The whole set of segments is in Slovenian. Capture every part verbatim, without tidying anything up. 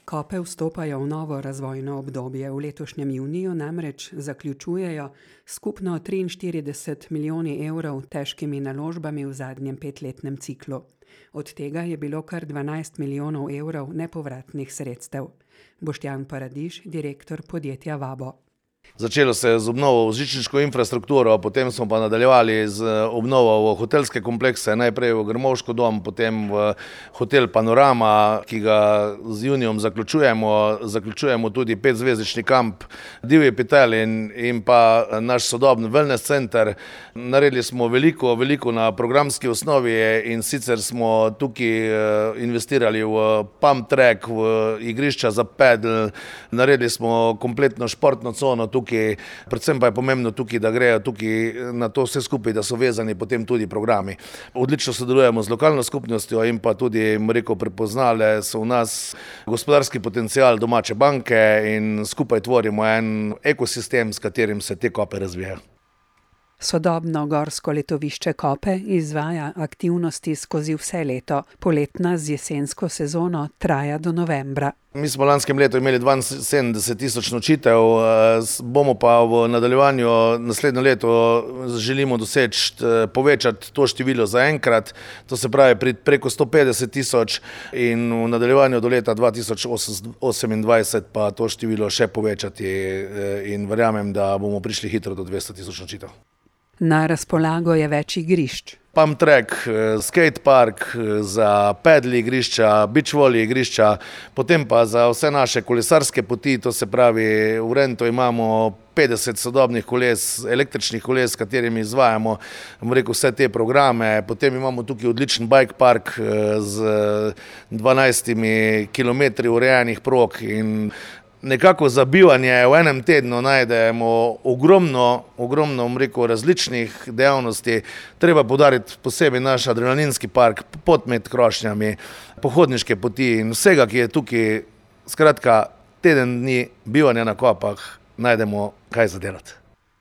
Kope vstopajo v novo razvojno obdobje. V letošnjem juniju namreč zaključujejo skupno triinštirideset milijoni evrov težkimi naložbami v zadnjem petletnem ciklu. Od tega je bilo kar dvanajst milijonov evrov nepovratnih sredstev. Boštjan Paradiž, direktor podjetja Vabo. Začelo se je z obnovo v žičniško infrastrukturo, potem smo pa nadaljevali z obnovo v hotelske komplekse, najprej v Grmovško dom, potem v hotel Panorama, ki ga z junijom zaključujemo. Zaključujemo tudi petzvezdični kamp Divji Petel in, in pa naš sodobni wellness center. Naredili smo veliko, veliko na programski osnovi in sicer smo tukaj investirali v pump track, v igrišča za pedal, naredili smo kompletno športno cono tukaj, predvsem pa je pomembno tukaj, da grejo tukaj na to vse skupaj, da so vezani potem tudi programi. Odlično sodelujemo z lokalno skupnostjo in pa tudi, rekel, prepoznale so v nas gospodarski potencial domače banke in skupaj tvorimo en ekosistem, s katerim se te Kope razvijajo. Sodobno gorsko letovišče Kope izvaja aktivnosti skozi vse leto. Poletna z jesensko sezono traja do novembra. Mi smo lanskem letu imeli dvainsedemdeset tisoč nočitev, bomo pa v nadaljevanju naslednje leto želimo doseči, povečati to število za enkrat, to se pravi preko sto petdeset tisoč in v nadaljevanju do leta dva tisoč osemindvajset pa to število še povečati in verjamem, da bomo prišli hitro do dvesto tisoč nočitev. Na razpolago je več igrišč. Pump track, skate park, za pedal igrišča, beach volley igrišča, potem pa za vse naše kolesarske poti, to se pravi v Rentu imamo petdeset sodobnih koles, električnih koles, s katerimi izvajamo, bom rekel, vse te programe. Potem imamo tukaj odličen bike park z dvanajstimi kilometri urejenih prog in nekako za bivanje v enem tednu najdemo ogromno, ogromno, bom rekel, različnih dejavnosti. Treba poudariti posebej naš adrenalinski park, pot med krošnjami, pohodniške poti in vsega, ki je tukaj, skratka, teden dni bivanja na Kopah, najdemo kaj za delati.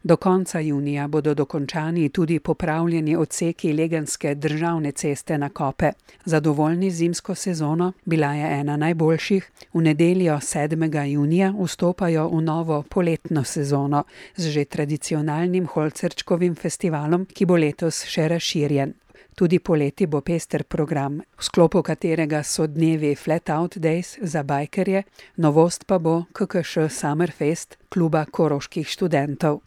Do konca junija bodo dokončani tudi popravljeni odseki Legenske državne ceste na Kope. Zadovoljni zimsko sezono, bila je ena najboljših. V nedeljo sedmega junija vstopajo v novo poletno sezono z že tradicionalnim Holcerčkovim festivalom, ki bo letos še razširjen. Tudi poleti bo pester program, v sklopu katerega so dnevi Flat Out Days za bajkerje, novost pa bo K K Š Summerfest kluba koroških študentov.